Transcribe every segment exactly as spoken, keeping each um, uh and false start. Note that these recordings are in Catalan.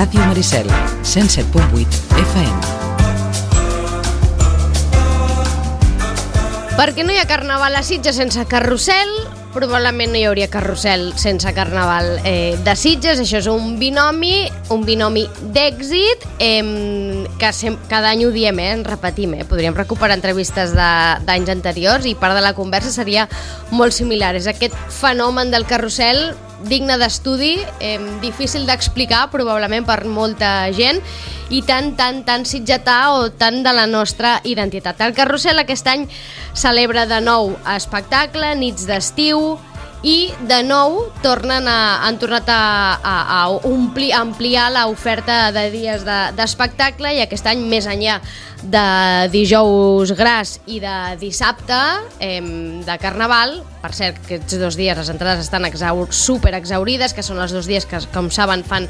Ràdio Maricel, cent set punt vuit F M. Perquè no hi ha carnaval a Sitges sense carrusel, probablement no hi hauria carrusel sense carnaval eh, de Sitges. Això és un binomi, un binomi d'èxit, eh, que sem- cada any ho diem, eh, en repetim, eh? Podríem recuperar entrevistes de- d'anys anteriors i part de la conversa seria molt similar. És aquest fenomen del carrusel digne d'estudi, eh, difícil d'explicar probablement per molta gent i tan, tan, tan sitgetà o tan de la nostra identitat. El carrusel aquest any celebra de nou espectacle, nits d'estiu, i de nou tornen a, han tornat a, a, a omplir, a ampliar l'oferta de dies de, d'espectacle, i aquest any, més enllà de dijous gras i de dissabte eh, de carnaval, per cert, aquests dos dies les entrades estan exaur, super exaurides, que són els dos dies que, com saben, fan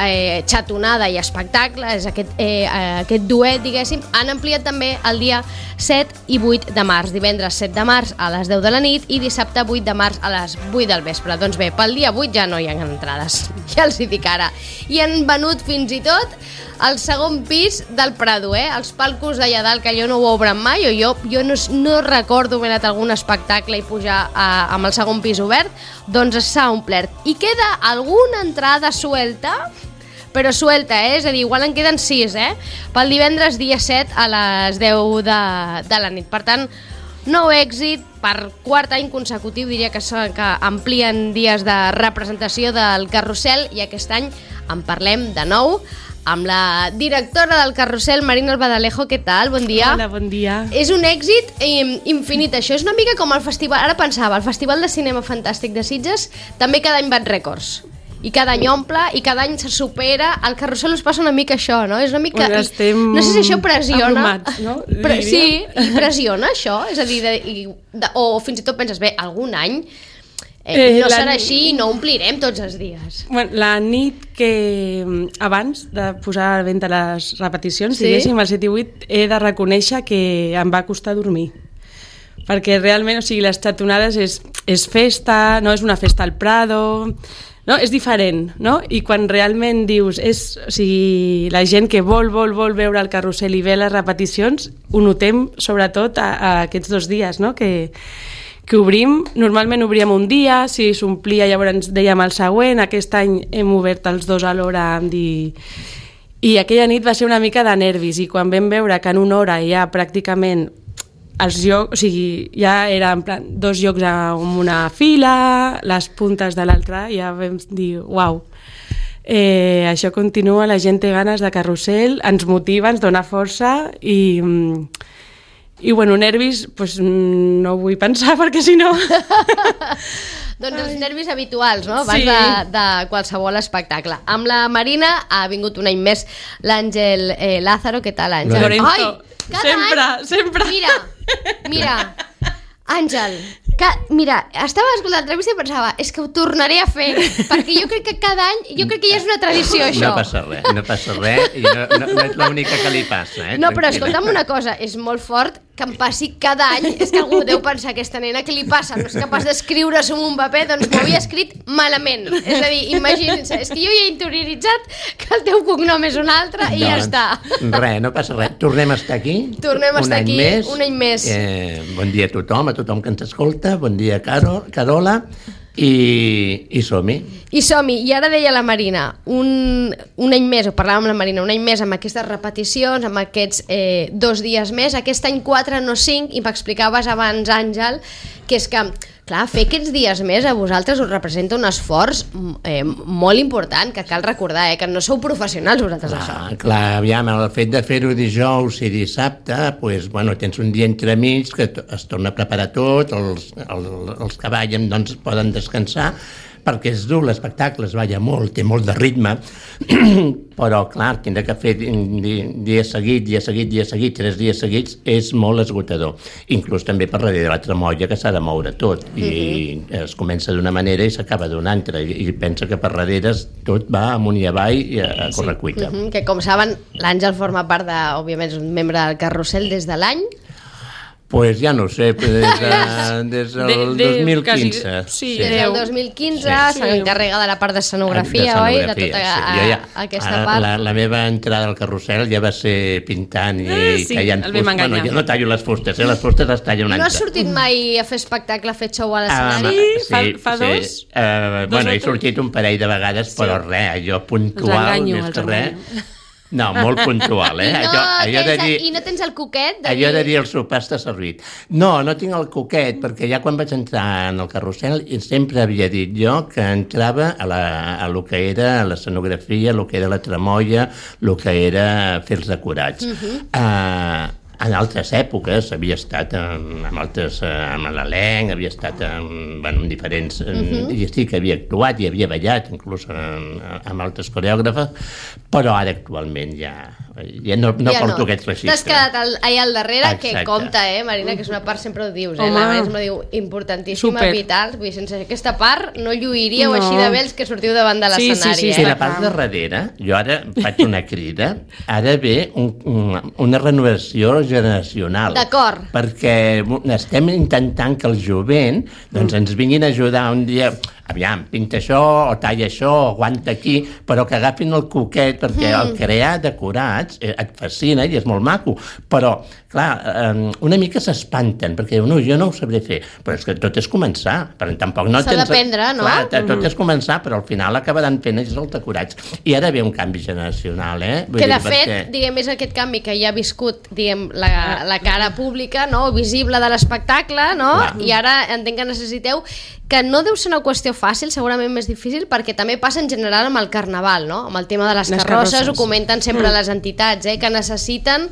eh, xatonada i espectacle, és aquest, eh, aquest duet, diguéssim. Han ampliat també el dia set i vuit de març, divendres set de març a les deu de la nit i dissabte vuit de març a les vuit del vespre. Doncs bé, pel dia vuit ja no hi ha entrades, ja els hi dic ara. I han venut fins i tot al segon pis del Prado, eh? Els palcos d'allà dalt, que allò no ho obren mai, o jo, jo no, no recordo haver anat a algun espectacle i pujar a, amb el segon pis obert, doncs s'ha omplert. I queda alguna entrada suelta, però suelta, eh? És a dir, igual en queden sis, eh? Pel divendres dia set a les deu de, de la nit. Per tant, nou èxit, per quart any consecutiu, diria que, són, que amplien dies de representació del carrusel, i aquest any en parlem de nou amb la directora del carrusel, Marina Albadalejo. Què tal? Bon dia. Hola, bon dia. És un èxit eh, infinit, això. És una mica com el festival, ara pensava, el Festival de Cinema Fantàstic de Sitges també cada any bat rècords. I cada any omple, i cada any se supera. Al carrusel us passa una mica això, no? És una mica... Bueno, estem no sé si això pressiona... abrumats, no? Pre sí, i pressiona això. És a dir, de, i, de, o fins i tot penses, bé, algun any eh, eh, no serà així i no omplirem tots els dies. Bueno, la nit que abans de posar a la venda les repeticions, sí? diguéssim, el set i vuit, he de reconèixer que em va costar dormir. Perquè realment, o sigui, les xatonades és, és festa, no és una festa al Prado... No? És diferent, no? I quan realment dius, és, o sigui, la gent que vol, vol, vol veure el carrusel i ve les repeticions, ho notem sobretot a, a aquests dos dies, no? Que, que obrim, normalment obríem un dia, si s'omplia llavors dèiem el següent, aquest any hem obert els dos alhora, dir... i aquella nit va ser una mica de nervis, i quan vam veure que en una hora ja pràcticament els llocs, o sigui, ja era en plan dos llocs amb una fila, les puntes de l'altra, ja vam dir, uau, eh, això continua, la gent té ganes de carrusel, ens motiva, ens dona força, i, i bueno, nervis, pues, no vull pensar, perquè si no... Doncs els nervis habituals, no? Abans sí. de, de qualsevol espectacle. Amb la Marina ha vingut un any més l'Àngel eh, Lázaro. Què tal, Àngel? Lorenzo, Ai, cada sempre, any... sempre. Mira, mira, Àngel, que, mira, estava escoltant l'entrevista i pensava, és que ho tornaré a fer, perquè jo crec que cada any, jo crec que ja és una tradició, això. No passa res, no passa res, i no, no, no és l'única que li passa, eh? No, però escolta'm una cosa, és molt fort que em passi cada any, és que algú deu pensar, aquesta nena, què li passa? No és capaç d'escriure-s'ho en un paper, doncs m'ho havia escrit malament. És a dir, imaginin-se, és que jo ja he interioritzat que el teu cognom és un altre i ja està. Res, no passa res. Tornem a estar aquí. Tornem a estar aquí més. un any més. Eh, bon dia a tothom, a tothom que ens escolta. Bon dia, Caro, Carola. I, i som-hi. I som-hi. I ara deia la Marina, un, un any més, o parlàvem amb la Marina, un any més amb aquestes repeticions, amb aquests eh, dos dies més, aquest any quatre, no cinc, i m'explicaves abans, Àngel, que és que, clar, fer aquests dies més a vosaltres us representa un esforç eh, molt important, que cal recordar, eh, que no sou professionals vosaltres, Clar, això. clar, aviam, el fet de fer-ho dijous i dissabte, pues, bueno, tens un dia entremig que es torna a preparar tot, els, els, els que ballen doncs, poden descansar, perquè és dur l'espectacle, es balla molt, té molt de ritme, però clar, tindre que fer dia seguit, dia seguit, dia seguit, tres dies seguits, és molt esgotador. Inclús també per darrere de la tremolla, que s'ha de moure tot, i uh-huh. es comença d'una manera i s'acaba d'una altra, i, i pensa que per darrere tot va amunt i avall i a, a correcuita. Uh-huh. Que com saben, l'Àngel forma part de, òbviament, és un membre del carrusel des de l'any Pues ja no ho sé, des, de, des del De- de- dos mil quasi- quinze. sí, Des del dos mil quinze Sí. s'encarrega de la part de escenografia, oi? De tota sí. a, Jo ja, aquesta ara, part. La, la meva entrada al carrusel ja va ser pintant i Ah, sí, tallant el vam fustes. Bueno, enganyar. jo no tallo les fustes, eh? Les fustes les talla un No has altre. sortit mai a fer espectacle, a fer show a Ah, l'escenari? Sí, fa- fa dos? Uh, Dos bueno, o he tres? sortit un parell de vegades, però res, jo puntual, enganyo, més els que res. enganyo. No, molt puntual, eh? I, no allò, allò de tens, dir, I no tens el coquet de allò de dir... dir el sopar està servit. No, no tinc el coquet, perquè ja quan vaig entrar en el carrusel sempre havia dit jo que entrava a, la, a lo que era l'escenografia, el que era la tramoia, el que era fer els decorats. Uh -huh. uh, en altres èpoques havia estat amb, amb altres, amb l'elenc, havia estat amb, bueno, amb diferents... Uh -huh. I sí que havia actuat i havia ballat, inclús amb, amb altres coreògrafes, però ara actualment ja, ja no, no Ja porto no. aquests registres. T'has quedat al, allà al darrere, Exacte. que compta, eh, Marina, que és una part, sempre ho dius, eh? Home. La Marina sempre diu, importantíssima, Super. vital, vull dir, sense aquesta part no lluiríeu No. així de bé els que sortiu davant de Sí, sí, l'escenari, sí, eh? Sí, la part de darrere, jo ara faig una crida, ha d'haver un, un, una renovació generacional. D'acord. Perquè estem intentant que el jovent doncs, ens vinguin a ajudar un dia, aviam, pinta això, o talla això, o aguanta aquí, però que agafin el coquet, perquè mm. el crear decorats eh, et fascina i és molt maco, però, clar, eh, una mica s'espanten, perquè diuen, no, jo no ho sabré fer, però és que tot és començar, però tampoc no S'ha tens... d'aprendre, no? Clar, tot és començar, però al final acabaran fent ells els decorats. I ara ve un canvi generacional, eh? Vull Que de dir, fet, perquè... diguem, és aquest canvi que ja ha viscut, diguem, la, la cara pública, no?, visible de l'espectacle, no? Clar. I ara entenc que necessiteu, que no deu ser una qüestió fàcil, segurament més difícil, perquè també passa en general amb el carnaval, no? Amb el tema de les, Les carrosses, carrosses. ho comenten sempre mm. les entitats, eh? Que necessiten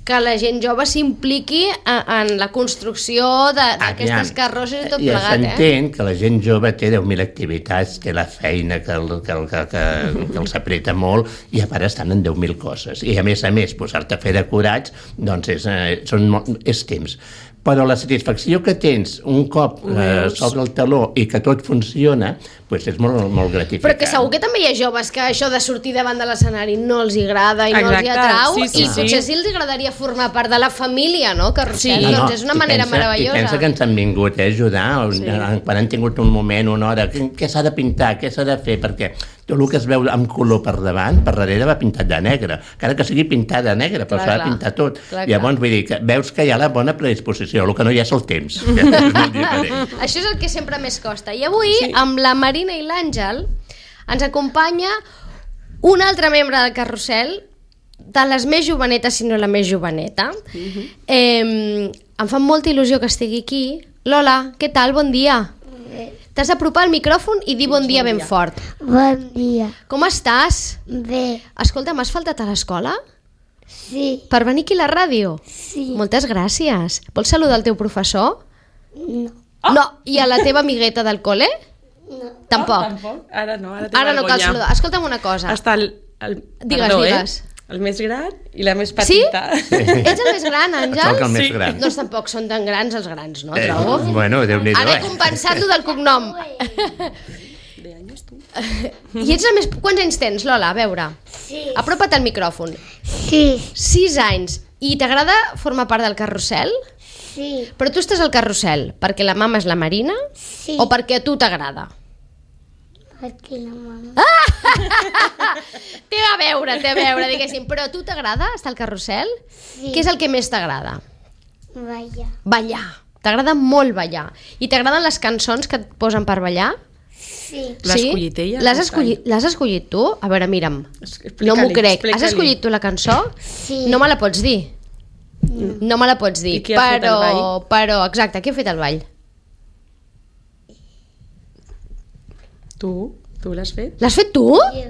que la gent jove s'impliqui en, en la construcció d'aquestes carrosses i tot ja plegat, eh? s'entén que la gent jove té deu mil activitats, té la feina que, el, que, el, que, que, que els apreta molt i a part estan en deu mil coses. I a més a més, posar-te a fer decorats, doncs és, eh, són molt, és temps. Però la satisfacció que tens un cop eh, sobre el taló i que tot funciona, pues és molt, molt gratificant. Però que segur que també hi ha joves que això de sortir davant de l'escenari no els agrada i no els hi Exacte, atrau, sí, sí, i sí. potser sí els agradaria formar part de la família, no? Carrusel, Sí. doncs és una i manera pensa, meravellosa. I pensa que ens han vingut eh, a ajudar, sí. quan han tingut un moment, una hora, què, què s'ha de pintar, què s'ha de fer, perquè tot el que es veu amb color per davant, per darrere va pintat de negre, encara que sigui pintat de negre, però Clar, s'ha de clar. pintar tot. Clar, Llavors, vull dir, que veus que hi ha la bona predisposició, el que no hi ha és el temps, que és molt diferent. Això és el que sempre més costa. I avui, sí. amb la Marina i l'Àngel, ens acompanya un altre membre del carrusel, de les més jovenetes, si no la més joveneta. Uh-huh. eh, em fa molta il·lusió que estigui aquí. Lola, què tal? Bon dia. T'has d'apropar al micròfon i dir bon dia ben fort. Bon dia. Com estàs? Bé, Escolta, m'has faltat a l'escola? sí, Per venir aquí a la ràdio? sí. Moltes gràcies. Vols saludar el teu professor? No, Oh. No. I a la teva amigueta del cole? no. Tampoc. Tampoc. Ara no, ara té Ara no cal vergonya. saludar. Escolta'm una cosa. Està el, el, Digues, perdó, digues. Eh? El més gran i la més Sí? petita. Ets el més gran, Sóc Àngel? el més Sí. gran. Doncs tampoc són tan grans els grans, no? Eh, Trobo. bueno, Déu-n'hi-do, Ara he eh? compensat-lo del cognom. De anys, tu? I ets la més... Quants anys tens, Lola? A veure. Sí, Apropa't al micròfon. sí, Sis anys. I t'agrada formar part del carrusel? sí, Però tu estàs al carrusel perquè la mama és la Marina sí. o perquè a tu t'agrada? Perquè la mama... Té a veure, té a veure, diguéssim. Però a tu t'agrada estar al carrusel? Sí. Què és el que més t'agrada? Vaya. Ballar. T'agrada molt ballar. I t'agraden les cançons que et posen per ballar? Sí, L'has escollit ella? L'has escollit, l'has escollit tu? A veure, mira'm. Explica-li, No m'ho crec. explica-li. Has escollit tu la cançó? sí. No me la pots dir? No me la pots dir. I qui ha fet el però, ball? però, exacte, qui ha fet el ball? Tu? Tu l'has fet? L'has fet tu? Jo.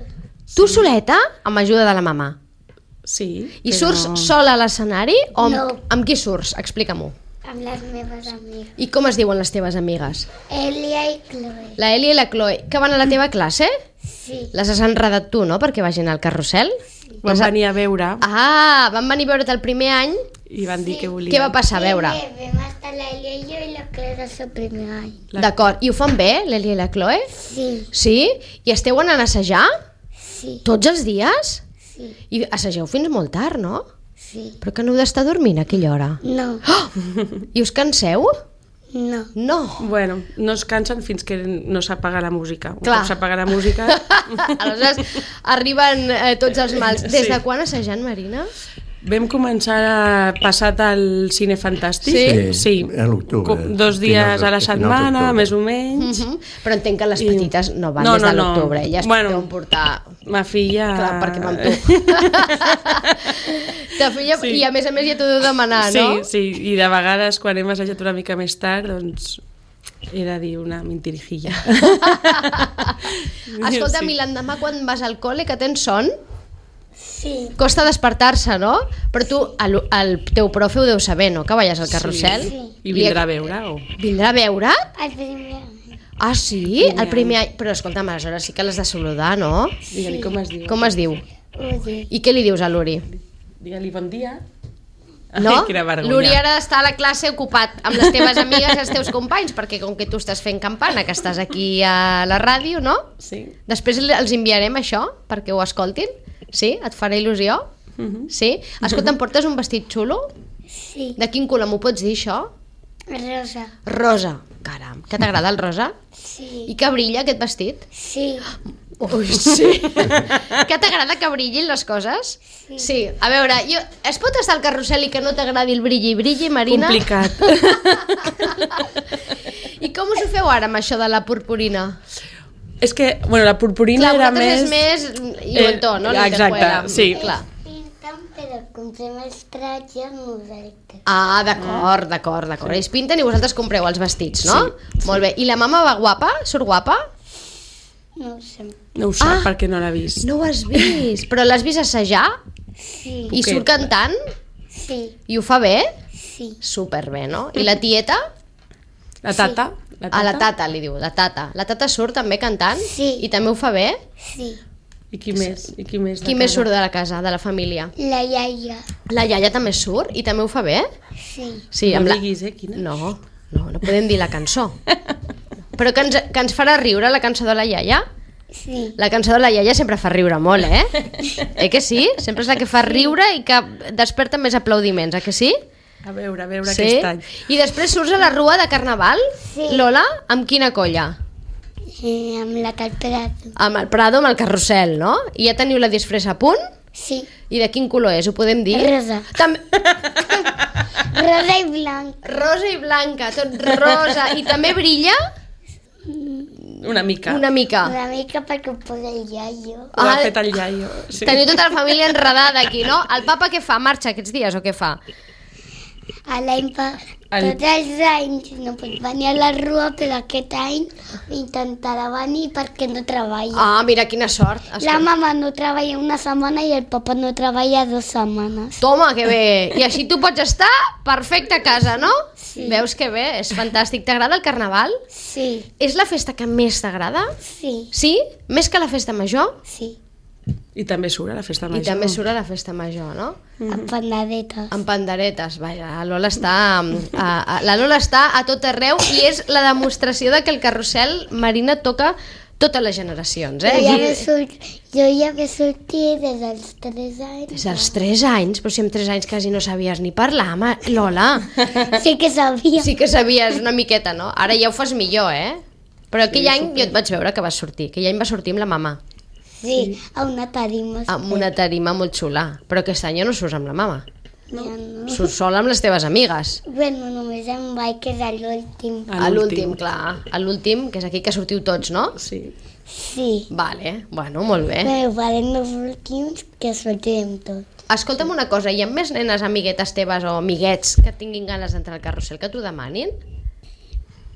Tu soleta? Amb ajuda de la mama. Sí. I però- surts sola a l'escenari? O amb, No. amb qui surts? Explica-m'ho. Amb les meves amigues. I com es diuen les teves amigues? Elia i Chloe. La Eli i la Chloe, que van a la teva classe? Sí, Les has enredat tu, no?, perquè vagin al carrusel? Van venir a veure Ah, van venir a veure't el primer any. i van dir que volien. Què va passar? A veure. Primer vam estar la Elia i jo i la Chloe el seu primer any. La- D'acord. I ho fan bé, l'Eli i la Chloe? Sí, Sí? I esteu anant a assajar? sí, Tots els dies? sí. I assageu fins molt tard, no? Sí. Però que no heu d'estar dormint a aquella hora. No. I us canseu? No. No. Bueno, no es cansen fins que no s'apaga la música. Un Clar. cop s'apaga la música... Aleshores, arriben eh, tots els mals. Des Sí. de quan assajant, Marina? Vam començar a passat al Cine Fantàstic. Sí? Sí. A l'octubre. Com dos dies Finals de- a la finals setmana, d'octubre. més o menys. Uh -huh. Però entenc que les I- petites no van No, des de no, no. l'octubre. Elles Bueno. deuen portar... Ma filla... Clar, perquè amb tu. Ta filla, Sí. I a més a més ja t'ho deu demanar, Sí, no? sí, i de vegades quan hem assajat una mica més tard, doncs he de dir una mentirijilla. Escolta'm, Sí. i l'endemà quan vas al col·le que tens son, Sí. costa despertar-se, no? Però tu, el, el teu profe ho deu saber, no? Que veies al carrusel. Sí. I vindrà a veure, o? Vindrà a veure? El primer any. Ah, sí? El primer any. Però escolta'm, aleshores sí que l'has de saludar, no? Digue-li com es diu. Com es diu? Uri. I què li dius a l'Uri? Digue-li bon dia. No? Ai, quina vergonya. L'Uri ara està a la classe ocupat amb les teves amigues i els teus companys, perquè com que tu estàs fent campana, que estàs aquí a la ràdio, no? Sí. Després els enviarem això perquè ho escoltin. Sí? Et farà il·lusió? Mhm. Sí? Escolta, em portes un vestit xulo? Sí. De quin color m'ho pots dir, això? Rosa. Rosa. Caram, que t'agrada el rosa? Sí. I que brilla aquest vestit? Sí. Ui, sí. Que t'agrada que brillin les coses? Sí. Sí. A veure, jo, es pot estar al carrusel i que no t'agradi el brilli brilli, Marina? Complicat. I com us ho feu ara amb això de la purpurina? És que, bueno, la purpurina Clar, era vosaltres més... és més lluentó, no? Eh, exacte, Lentejuela. sí. Clar. Pinten, però comprem els tratges nosaltres. Ah, d'acord, d'acord, d'acord. Ells pinten i vosaltres compreu els vestits, no? Sí, Molt bé. I la mama va guapa? Surt guapa? No ho sé. No ho sap Ah. perquè no l'ha vist. No ho has vist. Però l'has vist assajar? Sí. I Què? surt cantant? Sí. I ho fa bé? Sí. Superbé, no? I la tieta? La tata? La A la tata li diu, la tata. La tata surt també cantant? Sí. I també ho fa bé? Sí. I qui més? I qui més? de Qui més casa? surt de la casa, de la família? La iaia. La iaia també surt i també ho fa bé? Sí. Sí, No amb la... diguis, eh, quina? No, no, no podem dir la cançó. Però que ens, que ens farà riure la cançó de la iaia? Sí. La cançó de la iaia sempre fa riure molt, eh? Eh que sí? Sempre és la que fa riure i que desperta més aplaudiments, eh que sí? A veure, a veure Sí? aquest any. I després surts a la rua de Carnaval? Sí. Lola, amb quina colla? Eh, amb la calperato. Amb el Prado, amb el carrusel, no? I ja teniu la disfressa a punt? Sí. I de quin color és? Ho podem dir? Rosa. També... Rosa i blanc. Rosa i blanca, tot rosa. I també brilla? Una mica. Una mica. Una mica perquè ho posa el iaio. Ho ha Ah, fet el iaio. Sí. Teniu tota la família enredada aquí, no? El papa què fa? Marxa aquests dies o què fa? A l'any pa... El- Tots els anys no pot venir a la rua, però aquest any intentarà venir perquè no treballa. Ah, mira, quina sort. La Escolta. mama no treballa una setmana i el papa no treballa dues setmanes. Toma, que bé. I així tu pots estar perfecte a casa, no? Sí. Veus que bé? És fantàstic. T'agrada el carnaval? Sí, És la festa que més t'agrada? sí, Sí? Més que la festa major? sí. I també surt a la festa major. I també surt a la festa major, no? Amb pandadetes. Amb panderetes, vaja, la Lola està a, a, la Lola està a tot arreu i és la demostració de que el carrusel Marina toca totes les generacions, Jo eh? ja I- ve sort... jo ja ve sortir des dels tres anys. Des dels tres anys, però si amb tres anys quasi no sabies ni parlar, ma... Lola. Sí que sabia. Sí que sabies una miqueta, no? Ara ja ho fas millor, eh? Però aquell any jo et vaig veure que vas sortir. Aquell any va sortir amb la mama, Sí, a una tarima. amb una tarima molt xula. Però aquest any ja no surts amb la mama. Ja no. Surts sola amb les teves amigues. Bueno, només em vaig quedar l'últim. A l'últim, clar. A l'últim, que és aquí que sortiu tots, no? Sí. Sí. Vale, bueno, molt bé. Però farem els últims que sortirem tots. Escolta'm una cosa, hi ha més nenes amiguetes teves o amiguets que tinguin ganes d'entrar al carrusel que t'ho demanin?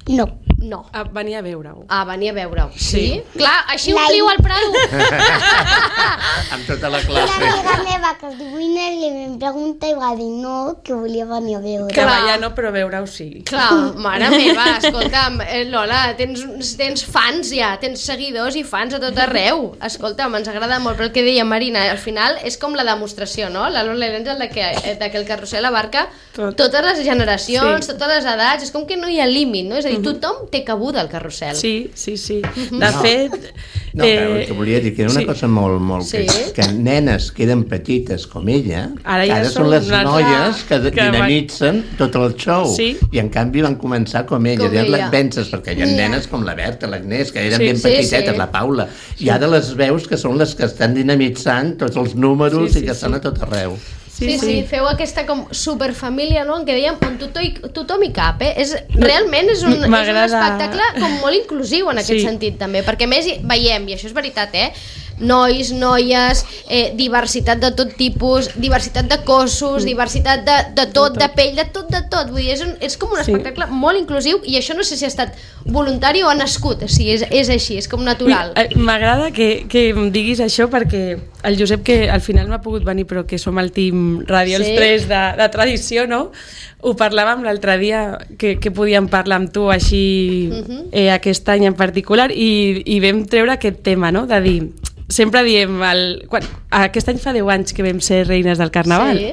No. No. A venir a veure-ho. Ah, venir a veure-ho. Sí? Sí. Clar, així La- ompliu el Prado. Amb tota la Una classe. amiga meva que es diu Inés li vam preguntar i va dir no, que volia venir a veure. Treballar no, però veure-ho sí. Clar, mare meva, escolta'm, eh, Lola, tens, tens fans ja, tens seguidors i fans a tot arreu. Escolta'm, ens agrada molt, però el que deia Marina, al final és com la demostració, no? La Lola i l'Àngel de, que, de que el carrusel abarca Tot. totes les generacions, Sí. totes les edats, és com que no hi ha límit, no? És a dir, tothom té cabuda al carrusel. Sí, sí, sí. De No. fet... No, eh, el que volia dir que era una sí. cosa molt, molt... Sí. Que, que nenes que eren petites com ella, Ara ja ara són són les unes- noies que, que dinamitzen tot el show. Sí. I en canvi van començar com ella. Com Com ella. ella. Penses, perquè hi ha Ja. nenes com la Berta, l'Agnès, que eren Sí. ben Sí, petitetes, sí. la Paula. I ara les veus que són les que estan dinamitzant tots els números Sí, sí, i que sí. estan a tot arreu. Sí, sí, sí, feu aquesta com superfamília, no?, en què dèiem on tothom, tothom hi cap, eh? És, realment és un, és un M'agrada- espectacle com molt inclusiu en aquest Sí. sentit també, perquè a més hi- veiem, i això és veritat, eh, nois, noies, eh, diversitat de tot tipus, diversitat de cossos, diversitat de, de tot, de, pell, de tot, de tot, vull dir, és, un, és com un Sí. espectacle molt inclusiu i això no sé si ha estat voluntari o ha nascut, o sigui, és, és així, és com natural. Eh, M'agrada que, que em diguis això perquè el Josep, que al final no ha pogut venir però que som el team Ràdio Els Sí. tres de, de tradició, no? Ho parlàvem l'altre dia que, que podíem parlar amb tu així eh, aquest any en particular i, i vam treure aquest tema, no? De dir, sempre diem el, quan, aquest any fa deu anys que vam ser reines del Carnaval. Sí.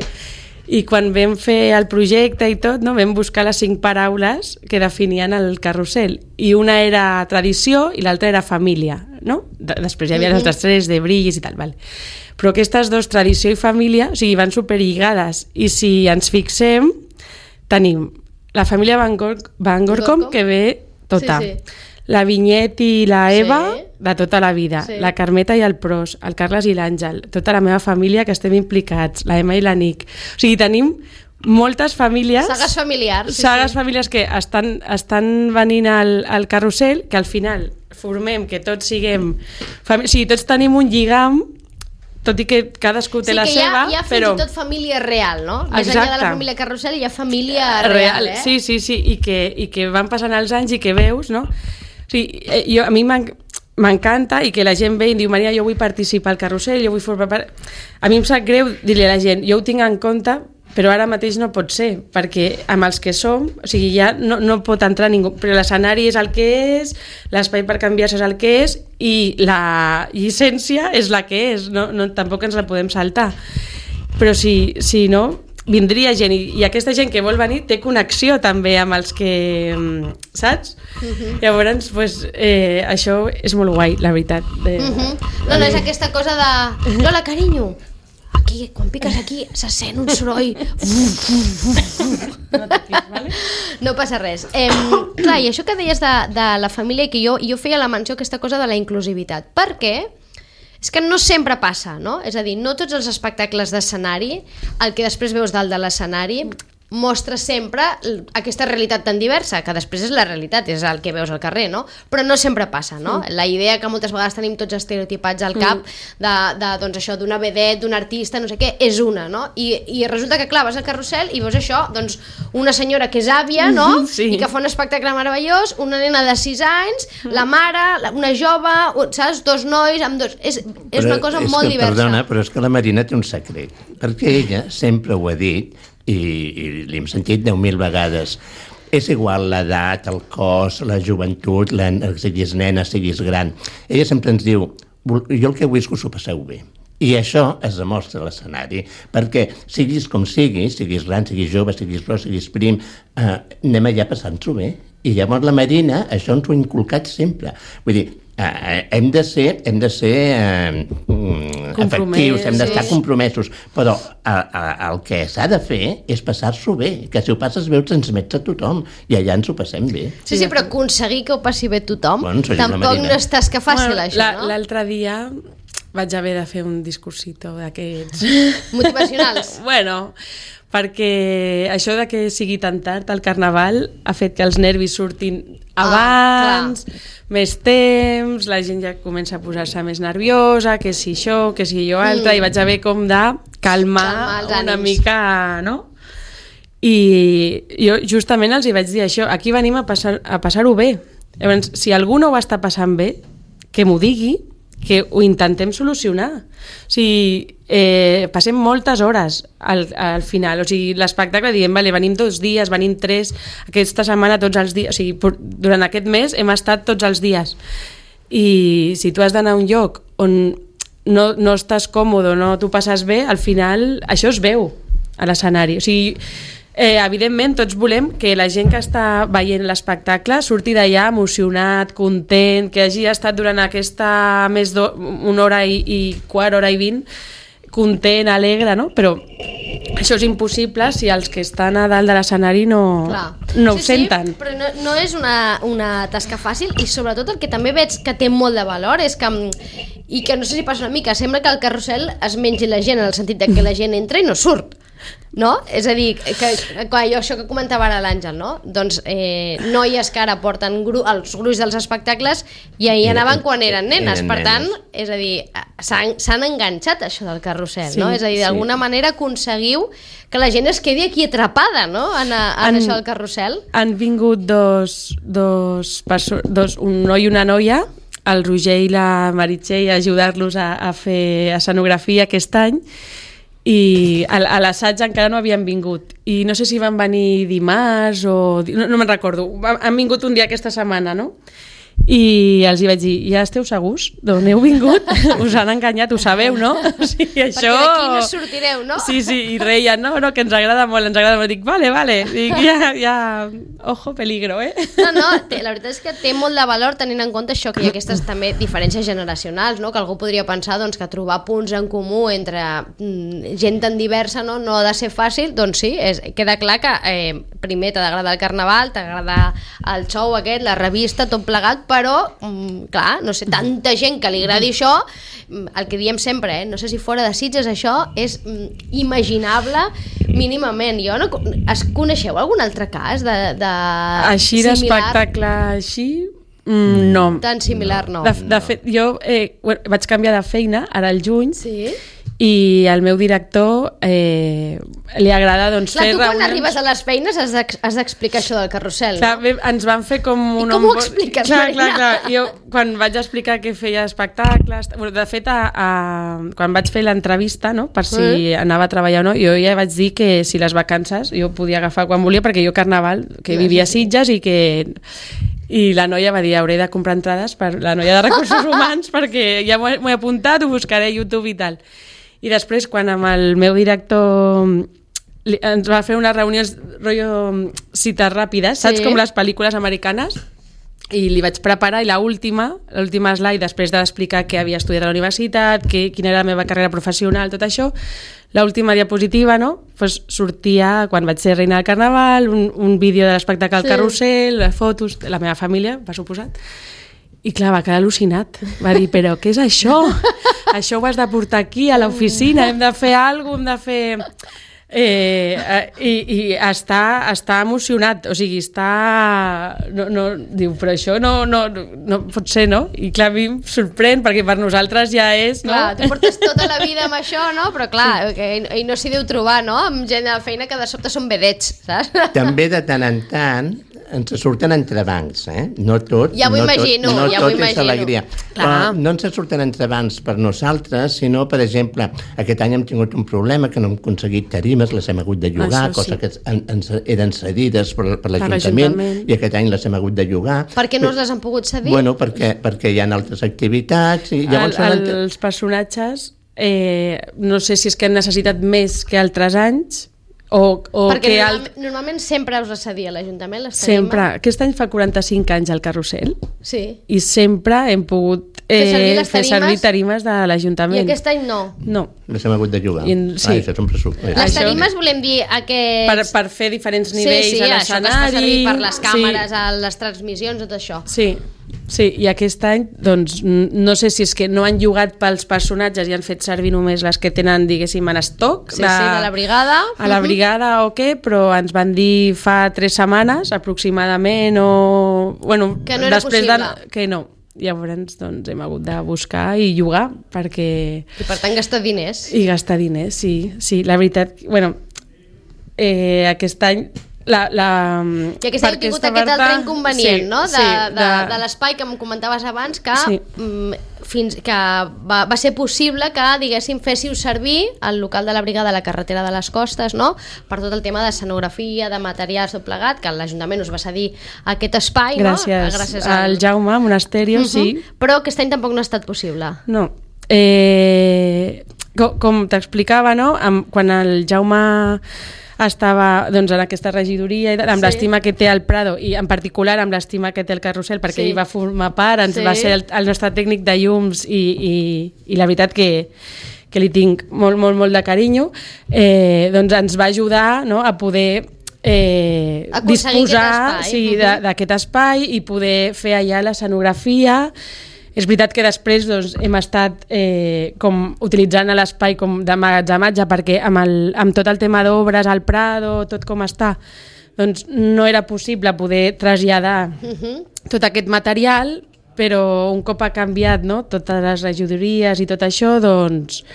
I quan vam fer el projecte i tot, no, vam buscar les cinc paraules que definien el carrusel. I una era tradició i l'altra era família, no? De, després hi havia les altres tres de brillis i tal, vale. Però aquestes dos, tradició i família, o sigui, van superlligades. I si ens fixem, tenim la família Van, Gor Van Gorkom, Gorkom. que ve tota. Sí, sí. La Vinyet i la Sí. Eva, de tota la vida. Sí. La Carmeta i el Pros, el Carles i l'Àngel, tota la meva família que estem implicats, la Emma i la Nick. O sigui, tenim moltes famílies... Sagues familiars. Sí, sagues sí. famílies que estan, estan venint al, al carrusel, que al final formem que tots siguem... Fami... O sigui, tots tenim un lligam, tot i que cadascú té Sí, la que hi ha, seva, hi ha fins però... i tot família real, no? Més enllà de la Exacte. família Carrusel hi ha família real, eh? Sí, sí, sí, i que, i que van passant els anys i que veus, no? O sigui, eh, jo, a mi m'en- m'encanta i que la gent ve i em diu, Maria, jo vull participar al carrusel, jo vull formar part... A mi em sap greu dir-li a la gent, jo ho tinc en compte, però ara mateix no pot ser, perquè amb els que som, o sigui, ja no, no pot entrar ningú, però l'escenari és el que és, l'espai per canviar-se és el que és, i la llicència és la que és, no, no, tampoc ens la podem saltar. Però si, si no, vindria gent, i, i aquesta gent que vol venir té connexió també amb els que... saps? Uh-huh. Llavors, pues, eh, això és molt guai, la veritat. De, Uh -huh. No, no, és aquesta cosa de... Lola, carinyo, aquí, quan piques aquí, se sent un soroll. No passa res. Eh, clar, i això que deies de, de la família, i que jo, jo feia la menció aquesta cosa de la inclusivitat. Per què? És que no sempre passa, no? És a dir, no tots els espectacles d'escenari, el que després veus dalt de l'escenari, mostra sempre aquesta realitat tan diversa, que després és la realitat, és el que veus al carrer, no? Però no sempre passa, no? Mm. La idea que moltes vegades tenim tots estereotipats al cap mm. de, de, doncs això, d'una vedet, d'un artista, no sé què, és una, no? I, i resulta que, clar, vas al carrusel i veus això, doncs, una senyora que és àvia, no? Sí. I que fa un espectacle meravellós, una nena de sis anys, la mare, la, una jove, saps? Dos nois, amb dos... És, és Però una cosa és molt que, diversa. Perdona, però és que la Marina té un secret, perquè ella sempre ho ha dit, i, i l'hem sentit deu mil vegades, és igual l'edat, el cos, la joventut, la, siguis nena, siguis gran. Ella sempre ens diu, jo el que vull és que us ho passeu bé. I això es demostra a l'escenari, perquè siguis com siguis, siguis gran, siguis jove, siguis gros, siguis prim, eh, anem allà passant-s'ho bé. I llavors la Marina això ens ho ha inculcat sempre. Vull dir, eh, hem de ser, hem de ser eh, efectius, hem d'estar sí. compromesos, però a, a, el que s'ha de fer és passar-s'ho bé, que si ho passes bé ho transmets a tothom, i allà ens ho passem bé. Sí, sí, però aconseguir que ho passi bé tothom, Bueno, soy la tampoc Marina. no és tasca fàcil, Bueno, això, la- no? L'altre dia vaig haver de fer un discursito d'aquests... Motivacionals. Bueno, perquè això de que sigui tan tard al Carnaval ha fet que els nervis surtin abans, Ah, més temps, la gent ja comença a posar-se més nerviosa, que si això, que si allò altre, Mm. i vaig haver com de calmar, Calmar els una ànims. mica, no? I jo justament els hi vaig dir això, aquí venim a passar- a passar-ho bé. Llavors, si algú no ho està passant bé, que m'ho digui, que ho intentem solucionar. O sigui, eh, passem moltes hores al, al final. O sigui, l'espectacle diem, vale, venim dos dies, venim tres, aquesta setmana tots els dies. O sigui, por, durant aquest mes hem estat tots els dies. I si tu has d'anar a un lloc on no, no estàs còmode, no t'ho passes bé, al final això es veu a l'escenari. O sigui, Eh, evidentment, tots volem que la gent que està veient l'espectacle surti d'allà emocionat, content, que hagi estat durant aquesta més d'una hora i, i quart, hora i vint, content, alegre, no? Però això és impossible si els que estan a dalt de l'escenari no, no ho sí, senten. Sí, però no, no és una, una tasca fàcil i sobretot el que també veig que té molt de valor és que, i que no sé si passa una mica, sembla que el carrusel es mengi la gent en el sentit de que la gent entra i no surt. No? És a dir, que, que jo, això que comentava ara l'Àngel, no? Doncs eh, noies que ara porten gru, els gruix dels espectacles i ahir anaven quan eren nenes, eren per tant, nenes. És a dir, s'han enganxat això del carrusel, sí, no? És a dir, d'alguna sí. manera aconseguiu que la gent es quedi aquí atrapada, no? En, a, en han, això del carrusel. Han vingut dos, dos, dos, un noi i una noia, el Roger i la Meritxell, a ajudar-los a, a fer escenografia aquest any, i a, a l'assaig encara no havien vingut i no sé si van venir dimarts o... no, no me'n recordo, han vingut un dia aquesta setmana, no? I els hi vaig dir, ja esteu segurs d'on heu vingut? Us han enganyat, ho sabeu, no? O sigui, això... Perquè d'aquí no sortireu, no? Sí, sí, i reien, no, no, que ens agrada molt, ens agrada molt. Dic, vale, vale, dic, ja, ja, ojo, peligro, eh? No, no, té, la veritat és que té molt de valor tenint en compte això, que hi ha aquestes també diferències generacionals, no? Que algú podria pensar doncs, que trobar punts en comú entre mm, gent tan diversa no, no ha de ser fàcil, doncs sí, és, queda clar que eh, primer t'ha d'agradar el carnaval, t'agrada el show aquest, la revista, tot plegat, però, mm, clar, no sé, tanta gent que li agradi això, el que diem sempre, eh, no sé si fora de Sitges això és mm, imaginable mínimament. Jo no... Es coneixeu algun altre cas de, de així d'espectacle així? Mm, no. Tan similar no. De, de fet, jo eh, vaig canviar de feina ara al juny. Sí. I al meu director eh, li agrada doncs, clar, fer tu quan reunions... arribes a les feines has d'explicar això del carrusel, clar, no? Ens van fer com un... I com ho expliques, clar, Marina? clar, clar. Jo quan vaig explicar que feia espectacles... De fet, a, a, quan vaig fer l'entrevista, no, per si mm. anava a treballar o no, jo ja vaig dir que si les vacances jo podia agafar quan volia, perquè jo Carnaval, que vivia a Sitges i que... I la noia va dir, hauré de comprar entrades per la noia de recursos humans perquè ja m'ho he, he apuntat, ho buscaré a YouTube i tal. I després, quan amb el meu director li, ens va fer unes reunions rotllo cites ràpides, saps, sí. Com les pel·lícules americanes, i li vaig preparar, i l'última, l'última slide, després d'explicar què havia estudiat a la universitat, que, quina era la meva carrera professional, tot això, l'última diapositiva, no? Pues sortia, quan vaig ser reina del Carnaval, un, un vídeo de l'espectacle al sí. Carrusel, les fotos de la meva família, per suposat. I clar, va quedar al·lucinat. Va dir, però què és això? Això ho has de portar aquí, a l'oficina, hem de fer alguna cosa, hem de fer... Eh, eh, i, i està, està emocionat, o sigui, està... No, no, diu, però això no, no, no pot ser, no? I clar, a mi em sorprèn, perquè per nosaltres ja és... No? Clar, tu portes tota la vida amb això, no? Però clar, sí. que, i no s'hi deu trobar, no? Amb gent de feina que de sobte són vedets, saps? També de tant en tant ens surten entrebancs, eh? No tot, ja m'ho no imagino, tot, no ja tot m'ho és alegria. Però no ens surten entrebancs per nosaltres, sinó, per exemple, aquest any hem tingut un problema que no hem aconseguit tarimes, les hem hagut de llogar, Això, coses sí. que en, en, eren cedides per, per l'Ajuntament, i aquest any les hem hagut de llogar. Per què no us les han pogut cedir? Bueno, perquè, perquè hi ha altres activitats. I llavors el, el, els personatges, eh, no sé si és que han necessitat més que altres anys, O, o perquè que normal, alt... normalment sempre us cedia l'Ajuntament les sempre, aquest any fa quaranta-cinc anys el Carrusel sí. i sempre hem pogut eh, fer, servir fer servir tarimes de l'Ajuntament. I aquest any no? No. Les hem hagut de jugar. I, sí. ah, això és un pressupost. Les tarimes volem dir aquests... Per, per fer diferents nivells sí, sí, a l'escenari. Sí, això que es fa servir per les càmeres, sí. a les transmissions, tot això. Sí. Sí, i aquest any, doncs, no sé si és que no han llogat pels personatges i han fet servir només les que tenen, diguéssim, en estoc. Sí, de, sí, de la brigada. A la brigada o què, però ens van dir fa tres setmanes, aproximadament, o... Bueno, que no era després possible. De, que no. Llavors, doncs, hem hagut de buscar i llogar, perquè... I per tant gastar diners. I gastar diners, sí. Sí, la veritat, bueno, eh, aquest any... La, la, que aquest any heu tingut aquest altre inconvenient, sí, no? De, sí, de, de, de l'espai que em comentaves abans, que, sí. mm, fins, que va, va ser possible que, diguéssim, féssiu servir el local de la brigada a la carretera de les Costes, no? Per tot el tema d'escenografia, de materials, tot plegat, que l'Ajuntament us va cedir aquest espai, gràcies, no? Gràcies al, al Jaume Monasterio, uh -huh. sí. Però aquest any tampoc no ha estat possible. No. Eh, com com t'explicava, no? Quan el Jaume estava doncs, en aquesta regidoria, amb Sí. l'estima que té el Prado i en particular amb l'estima que té el Carrusel, perquè Sí. ell va formar part, ens Sí. va ser el, el nostre tècnic de llums i, i, i la veritat que, que li tinc molt, molt, molt de carinyo, eh, doncs ens va ajudar, no?, a poder eh, Aconseguir disposar aquest espai. sí, de- d'aquest espai i poder fer allà l'escenografia. És veritat que després doncs, hem estat eh, com utilitzant l'espai com d'emmagatzematge perquè amb, el, amb tot el tema d'obres, al Prado, tot com està, doncs no era possible poder traslladar tot aquest material, però un cop ha canviat, no?, totes les regidories i tot això, doncs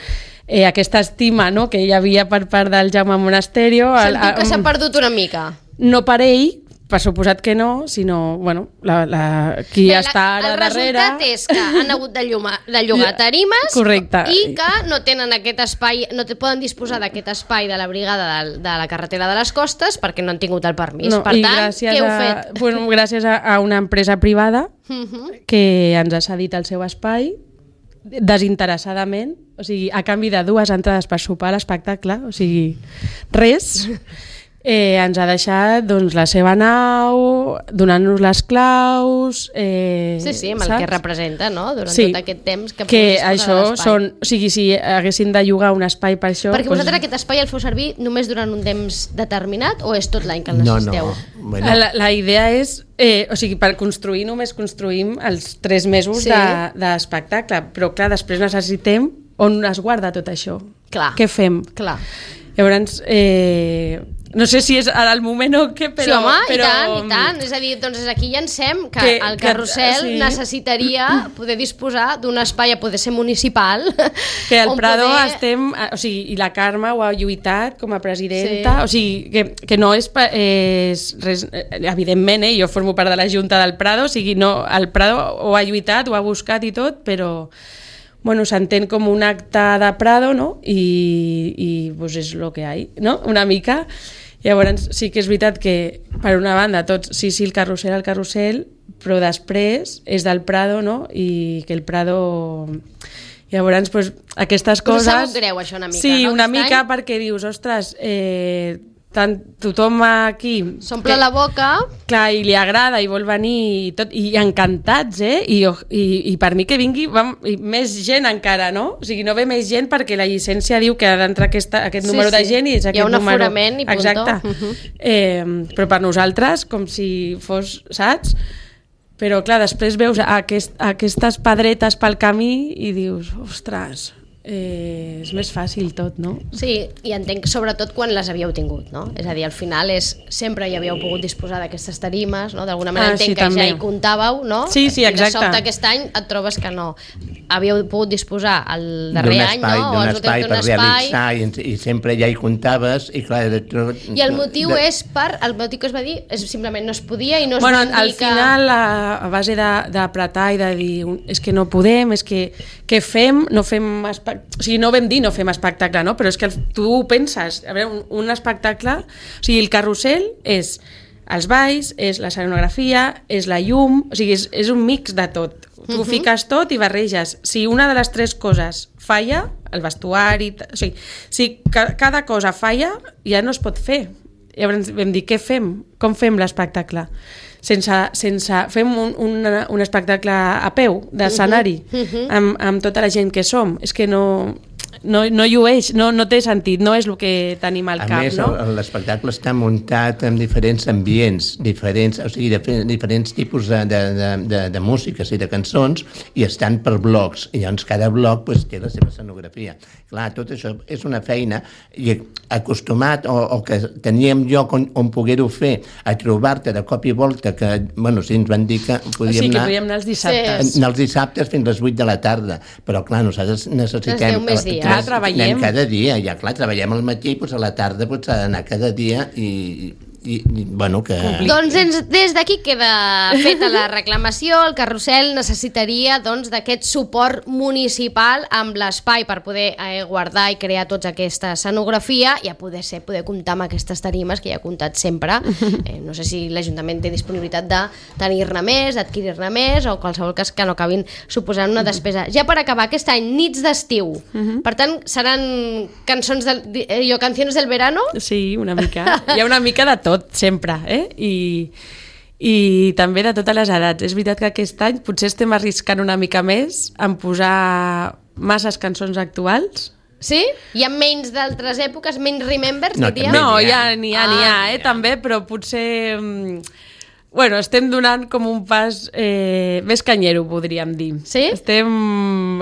eh, aquesta estima, no?, que hi havia per part del Jaume Monasterio... el- Sentiu que el- s'ha perdut una mica. no per ell, per suposat que no, sinó bueno, la, la, qui Bé, la- està ara el darrere... resultat és que han hagut de, lluma, de llogar tarimes Correcte. i que no tenen aquest espai, no te poden disposar d'aquest espai de la brigada de, de la carretera de les Costes perquè no han tingut el permís. No, per i tant, gràcies què heu a, fet? bueno, gràcies a, a una empresa privada Mhm. que ens ha cedit el seu espai desinteressadament, o sigui, a canvi de dues entrades per sopar a l'espectacle, o sigui, res. Eh, ens ha deixat doncs, la seva nau, donant-nos les claus... Eh, Sí, sí, amb el saps? que representa, no?, durant Sí, tot aquest temps que, que puguis disposar això de l'espai. són... O sigui, si haguessin de llogar un espai per això... Perquè doncs- vosaltres aquest espai el feu servir només durant un temps determinat o és tot l'any que el No, necessiteu? no. Bueno, La, la idea és, eh, o sigui, per construir només construïm els tres mesos Sí. de- d'espectacle, però clar, després necessitem on es guarda tot això. Clar. Què fem? Clar. Llavors, eh, no sé si és ara el moment o què, però... sí, home, però, i tant, i tant. És a dir, doncs aquí llancem que, Que- el que- carrusel sí. necessitaria poder disposar d'un espai a poder ser municipal. Que al on Prado poder... estem, o sigui, i la Carme ho ha lluitat com a presidenta, Sí. o sigui, que, que no és, pa- és res, eh, evidentment, eh, jo formo part de la Junta del Prado, o sigui, no, el Prado ho ha lluitat, ho ha buscat i tot, però bueno, s'entén com un acte de Prado, no? I, i pues és lo que hay, no? Una mica. Llavors sí que és veritat que per una banda tots, sí, sí, el carrusel, el carrusel, però després és del Prado, no? I que el Prado... Llavors, pues, aquestes Us coses... ha sabut greu, això, una mica, Sí, no, una aquest mica, any? perquè dius, ostres, eh, tant, tothom aquí... S'omple la boca. Clar, i li agrada i vol venir i, tot, i encantats, eh? I, i, i per mi que vingui vam, i més gent encara, no? O sigui, no ve més gent perquè la llicència diu que ha d'entrar aquesta, aquest Sí, número de sí. gent i és Hi ha aquest un número. aforament i punto. Exacte. Mhm. eh, però per nosaltres, com si fos, saps? Però clar, després veus aquest, aquestes pedretes pel camí i dius, ostres, eh, és més fàcil tot, no? Sí, i entenc sobretot quan les havíeu tingut, no? És a dir, al final és, sempre hi havíeu pogut disposar d'aquestes tarimes, no? D'alguna manera Ah, entenc sí, que també. ja hi comptàveu, no? Sí, sí, I de exacte. sobte aquest any et trobes que no. Havíeu pogut disposar el darrer d'un any, espai, no? O d'un els últims espai d'un per espai. realitzar i, i sempre ja hi comptaves i clar, de tot... I el motiu de, és per... El motiu que es va dir és simplement no es podia i no es Bueno, van dir al que... final, a, a base de- d'apretar i de dir un- és que no podem, és que què fem? No fem espe- o sigui, no vam dir no fem espectacle, no? Però és que el, tu ho penses, a veure, un, un espectacle, o sigui, el carrusel és els balls, és l'escenografia, és la llum, o sigui, és, és un mix de tot. Tu uh -huh. fiques tot i barreges. Si una de les tres coses falla, el vestuari, o sigui, si ca, cada cosa falla, ja no es pot fer. Llavors vam dir, què fem? Com fem l'espectacle? Sense, sense, fem un, un, un espectacle a peu, d'escenari, uh -huh. amb, amb tota la gent que som. És que no, no, no llueix, no, no té sentit, no és el que tenim al A cap, més, no? el- l'espectacle està muntat en diferents ambients, diferents, o sigui, de, diferents tipus de, de, de, de, de músiques i de cançons, i estan per blocs, i llavors cada bloc pues, té la seva escenografia. Clar, tot això és una feina, i acostumat, o, o que teníem lloc on, on poder-ho fer, a trobar-te de cop i volta, que, bueno, si ens van dir que O podíem sigui, que anar... podíem anar els dissabtes. Anar els dissabtes fins a les vuit de la tarda, però clar, nosaltres necessitem... deu més dies. Clar, treballem. Anem cada dia, ja clar, treballem al matí i pues, a la tarda pues, s'ha d'anar cada dia i, i, i bueno, que... Doncs ens, des d'aquí queda feta la reclamació. El carrusel necessitaria doncs d'aquest suport municipal amb l'espai per poder eh, guardar i crear tota aquesta escenografia i a poder ser, poder comptar amb aquestes tarimes que ja ha comptat sempre. Eh, no sé si l'Ajuntament té disponibilitat de tenir-ne més, d'adquirir-ne més o qualsevol cas que no acabin suposant una despesa. Ja per acabar, aquest any, nits d'estiu. Per tant, seran cançons del, eh, jo, canciones del verano? Sí, una mica. Hi ha una mica de tot, sempre, eh? I, i també de totes les edats. És veritat que aquest any potser estem arriscant una mica més en posar masses cançons actuals. Sí? Hi ha menys d'altres èpoques, menys remembers, No, diria? també No, n'hi hi ha. ha, n'hi ha, n'hi ha, Ah, eh, també, però potser... mm, Bueno, estem donant com un pas eh, més canyero, podríem dir. Sí? Estem...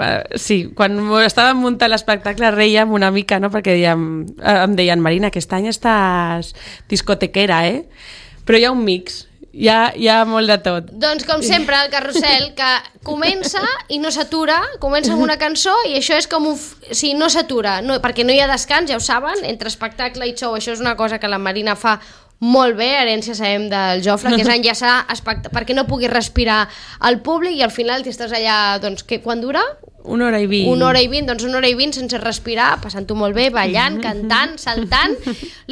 Eh, sí, quan estàvem muntant l'espectacle reiem una mica, no?, perquè dèiem, eh, em deien, Marina, aquest any estàs discotequera, eh? Però hi ha un mix, hi ha, hi ha molt de tot. Doncs com sempre el carrusel que comença i no s'atura, comença amb una cançó i això és com un... f- sí, no s'atura, no, perquè no hi ha descans, ja ho saben, entre espectacle i show, això és una cosa que la Marina fa molt bé, herència sabem del Jofre, que és enllaçar espect... perquè no pugui respirar al públic i al final tu estàs allà, doncs, que, quan dura? Una hora i vint. Una hora i vint, doncs una hora i vint sense respirar, passant-ho molt bé, ballant, cantant, saltant.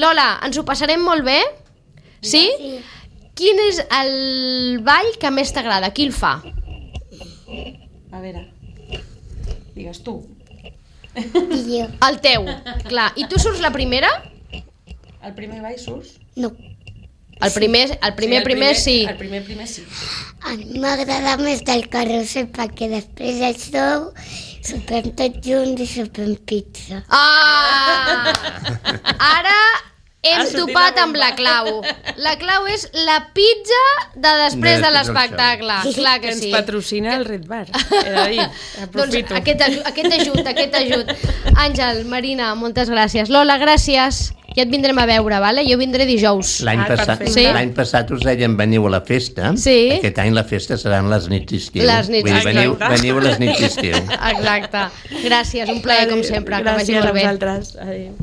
Lola, ens ho passarem molt bé? Sí? Sí. Quin és el ball que més t'agrada? Qui el fa? A veure, digues tu. I jo. El teu, clar. I tu surts la primera? El primer ball surts? No. El primer, el primer, el primer sí. El primer, primer sí. A mi m'agrada més del carrusel perquè després això sopem tots junts i sopem pizza. Ah! Ara hem Ha sortit topat la amb la clau. La clau és la pizza de després de Després del l'espectacle. Clar que Ens sí. patrocina el Red Bar. He de dir, Doncs aprofito. aquest, aju- aquest ajut, aquest ajut. Àngel, Marina, moltes gràcies. Lola, gràcies. Ja et vindrem a veure, vale? Jo vindré dijous. L'any Ah, passat, perfecte. Sí. l'any passat us deien veniu a la festa. Sí. Aquest any la festa seran les nits d'estiu. Les nits Vull dir, veniu, d'estiu. veniu a les nits d'estiu. Exacte. Gràcies, un plaer com sempre. Que vagi Gràcies molt a bé. vosaltres. Adéu.